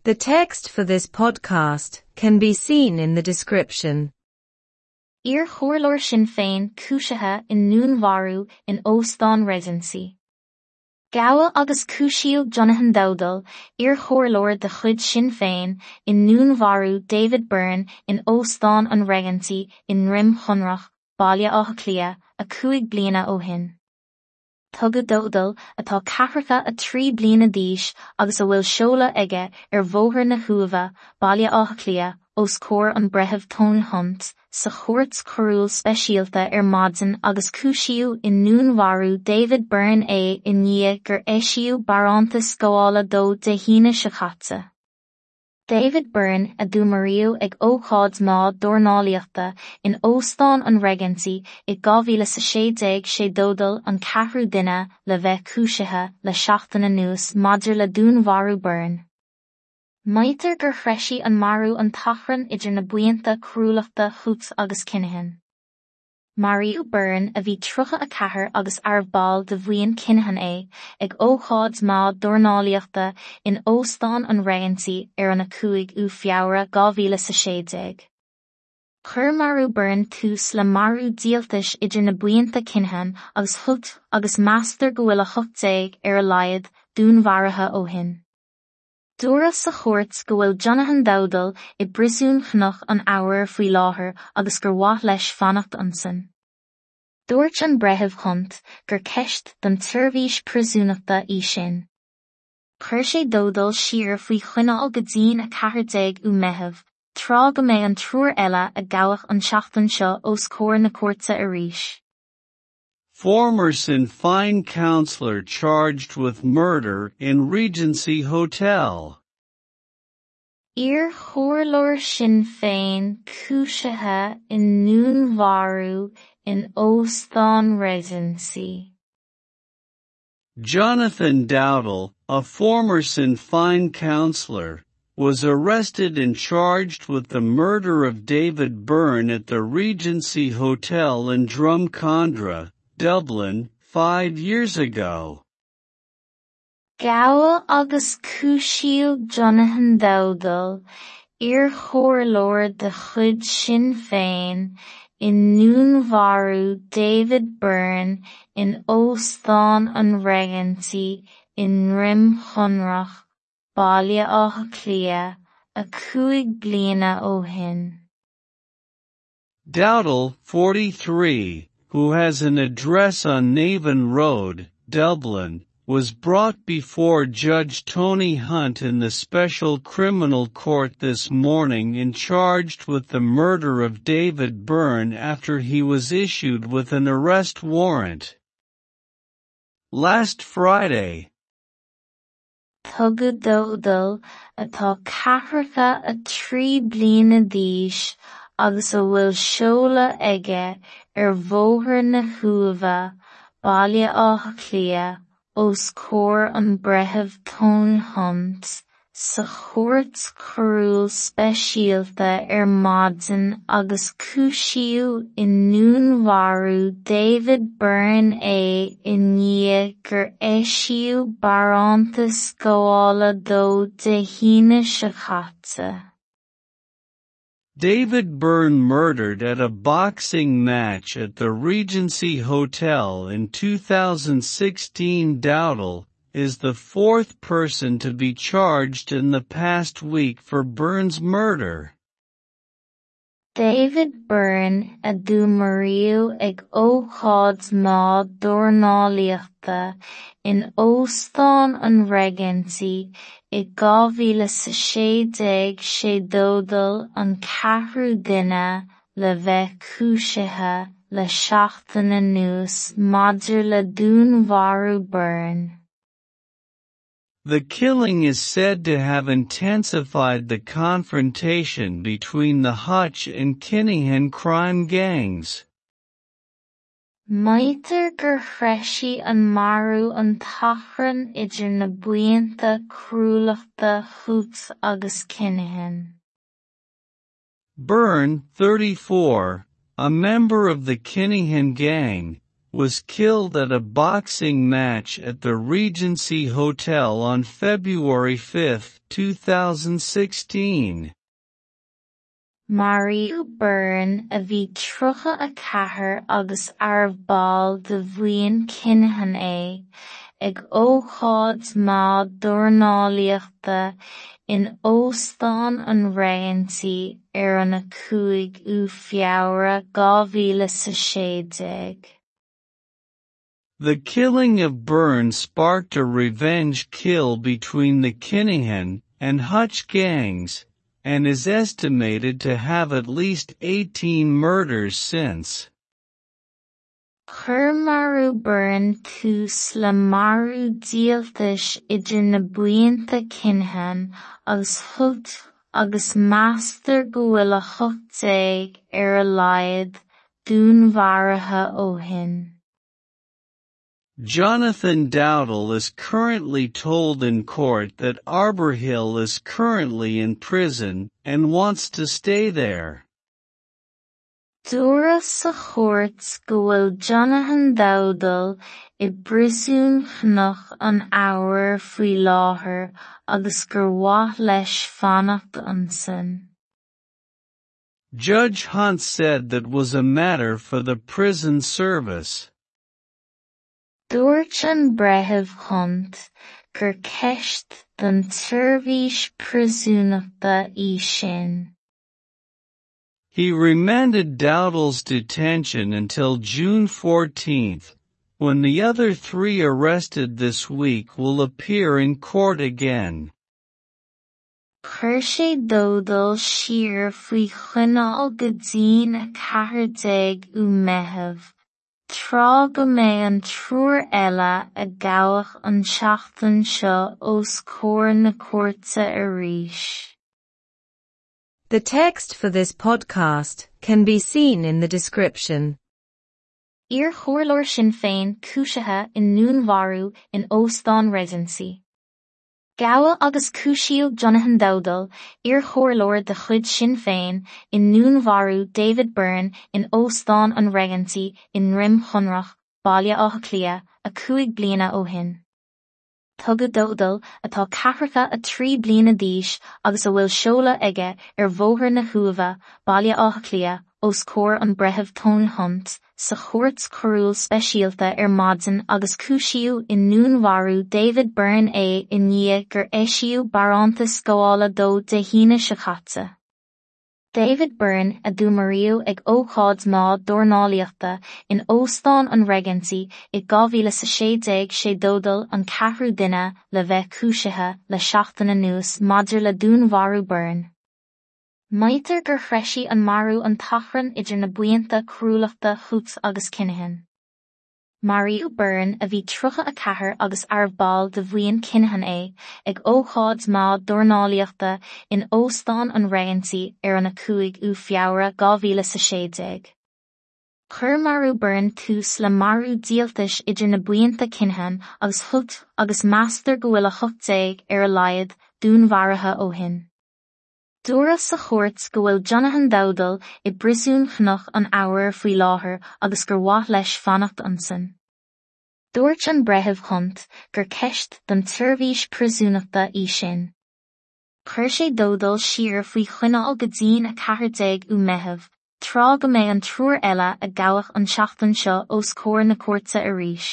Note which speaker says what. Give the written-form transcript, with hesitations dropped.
Speaker 1: The text for this podcast can be seen in the description.
Speaker 2: Iar-chomhairleoir Sinn Féin cúisithe i ndúnmharú in Óstán Regency. Gabhadh agus cúisíodh Jonathan Dowdall, iar-chomhairleoir de chuid Sinn Féin, i ndúnmharú David Byrne in Óstán an Regency i nDroim Chonrach, Baile Átha Cliath, 5 bliana ó shin. Tugadh Dowdall, atá 43 bliana d'aois agus a bhfuil seoladh aige ar Bhóthar na hUaimhe, Baile Átha Cliath, os comhair an Breitheamh Tony Hunt, sa Chúirt Choiriúil Speisialta ar maidin agus cúisíodh i ndúnmharú David Byrne é i ndiaidh gur eisíodh barántas gabhála dó Dé hAoine seo caite. David Byrne a dúnmaraíodh ag ócáid mná dornálaíochta in Óstán an Regency i 2016 sé Dowdall an ceathrú duine le bheith cúisithe le seachtain anuas maidir le dúnmharú Byrne. Maítear gur threisigh an marú an t-achrann idir na buíonta coiriúlachta Hoots agus Kinahan. Maraíodh Byrne, a bhí 34 agus arbh ball de bhuíon Kinahan é, ag ócáid mná dornálaíochta in Óstán an Regency ar an 5ú Feabhra 2016. Chuir marú Byrne tús le marú díoltais idir na buíonta Kinahan agus Hoots agus meastar go bhfuil 18 ar a laghad dúnmharaithe ó shin. Dúradh sa chúirt go bhfuil Jonathan Dowdall i bpríosún Chnoc an Fhobhair faoi láthair agus gur mhaith leis fanacht ansin. Dúirt an Breitheamh Hunt gur ceist don tseirbhís príosúnachta í sin. Chuir sé Dowdall siar faoi choinneáil go dtí'n 14ú Meitheamh, tráth go mbeidh an triúr eile a gabhadh an tseachtain seo os comhair na cúirte arís.
Speaker 3: Former Sinn Féin councillor charged with murder in Regency Hotel.
Speaker 2: Iar-chomhairleoir Sinn Féin cúisithe i ndúnmharú in Óstán Regency.
Speaker 3: Jonathan Dowdall, a former Sinn Féin councillor, was arrested and charged with the murder of David Byrne at the Regency Hotel in Drumcondra, Dublin, 5 years ago.
Speaker 2: Gabhadh agus cúisíodh Jonathan Dowdall, iar-chomhairleoir de chuid Sinn Féin, i ndúnmharú David Byrne in Óstán an Regency i nDroim Chonrach, Baile Átha Cliath, 5 bliana ó shin.
Speaker 3: Dowdall, 43, who has an address on Navan Road, Dublin, was brought before Judge Tony Hunt in the Special Criminal Court this morning and charged with the murder of David Byrne after he was issued with an arrest warrant. Last Friday.
Speaker 2: Tugadh Dowdall, atá 43 bliana d'aois agus a bhfuil seoladh aige ar Bhóthar na hUaimhe, Baile Átha Cliath, os comhair an Breitheamh Tony Hunt, sa Chúirt Choiriúil Speisialta ar maidin agus cúisíodh i ndúnmharú David Byrne é i ndiaidh gur eisíodh barántas gabhála dó Dé hAoine seo caite.
Speaker 3: David Byrne murdered at a boxing match at the Regency Hotel in 2016. Dowdall is the fourth person to be charged in the past week for Byrne's murder.
Speaker 2: David Byrne a dúnmaraíodh ag ócáid mná dornálaíochta in Óstán an Regency i 2016 sé Dowdall an ceathrú duine le bheith cúisithe le seachtain anuas maidir le dúnmharú Byrne.
Speaker 3: The killing is said to have intensified the confrontation between the Hutch and Kinahan crime gangs.
Speaker 2: Maítear gur threisigh an marú an t-achrann idir na buíonta coiriúlachta Hoots agus Kinahan.
Speaker 3: Byrne, 34, a member of the Kinahan gang, was killed at a boxing match at the Regency Hotel on February 5, 2016.
Speaker 2: Maraíodh Byrne a bhí 34 agus arbh ball de bhuíon Kinahan é, ag ócáid mhaith dornálaíochta in Óstán an Regency ar an 5ú Feabhra 2016.
Speaker 3: The killing of Byrne sparked a revenge kill between the Kinahan and Hutch gangs, and is estimated to have at least 18 murders since.
Speaker 2: Chuir marú Byrne tús le marú díoltais idir na buíonta Kinahan agus Hutch agus meastar go bhfuil 18 ar a laghad dúnmharaithe ó shin.
Speaker 3: Jonathan Dowdall is currently told in court that Arbour Hill is currently in prison and wants to stay there.
Speaker 2: Dúradh sa chúirt go bhfuil Jonathan Dowdall i bpríosún Chnoc an Fheabhair faoi láthair agus gur mhaith leis fanacht ansin.
Speaker 3: Judge Hunt said that was a matter for the prison service.
Speaker 2: Dúirt an Breitheamh Hunt gur ceist don tseirbhís príosúnachta í sin.
Speaker 3: He remanded Dowdall's detention until June 14, when the other three arrested this week will appear in court again.
Speaker 2: Chuir sé Dowdall siar faoi choinneáil go dtí 14 ú Meitheamh, tráth go mbeidh an triúr eile a gabhadh an tseachtain seo os comhair na cúirte arís.
Speaker 1: The text for this podcast can be seen in the description.
Speaker 2: Iar-chomhairleoir Sinn Féin cúisithe i ndúnmharú in Óstán Regency. Gabhadh agus cúisíodh Jonathan Dowdall, iar-chomhairleoir de chuid Sinn Féin, i ndúnmharú David Byrne in Óstán an Regency i nDroim Chonrach, Baile Átha Cliath, 5 bliana ó shin. Tugadh Dowdall, atá 43 bliana d'aois agus a bhfuil seoladh aige ar Bhóthar na hUaimhe, Baile Átha Cliath, os comhair an Breitheamh Tony Hunt, sa chúirt choiriúil speisialta ar maidin agus cúisíodh i ndúnmharú David Byrne é i ndiaidh gur eisíodh barántas gabhála dó Dé hAoine seo caite. David Byrne a dúnmaraíodh ag ócáid mhaith dornálaíochta in Óstán an Regency i 2016 sé Dowdall an ceathrú duine le bheith cúisithe le seachtain anuas maidir le dúnmharú Byrne. Maítear gur threisigh an marú an t-achrann idir na buíonta coiriúlachta Hutch agus Kinahan. Maraíodh Byrne a bhí 34 agus arbh ball de bhuíon Kinahan é, ag ócáid mhaith dornálaíochta in Óstán an Regency ar an 5ú Feabhra 2016. Chuir marú Byrne tús le marú díoltais idir na buíonta Kinahan agus Hutch agus meastar go bhfuil 18 ar a laghad dúnmharaithe ó shin. Dúradh sa chúirt go bhfuil Jonathan Dowdall i bpríosún Chnoc an Fheabhair faoi láthair agus gur mhaith leis fanacht ansin. Dúirt an Breitheamh Hunt gur ceist don tseirbhís príosúnachta í sin. Chuir sé Dowdall siar faoi choinneáil go dtí 14 ú Meitheamh, tráth go mbeidh an triúr eile a gabhadh an tseachtain seo os comhair na cúirte arís.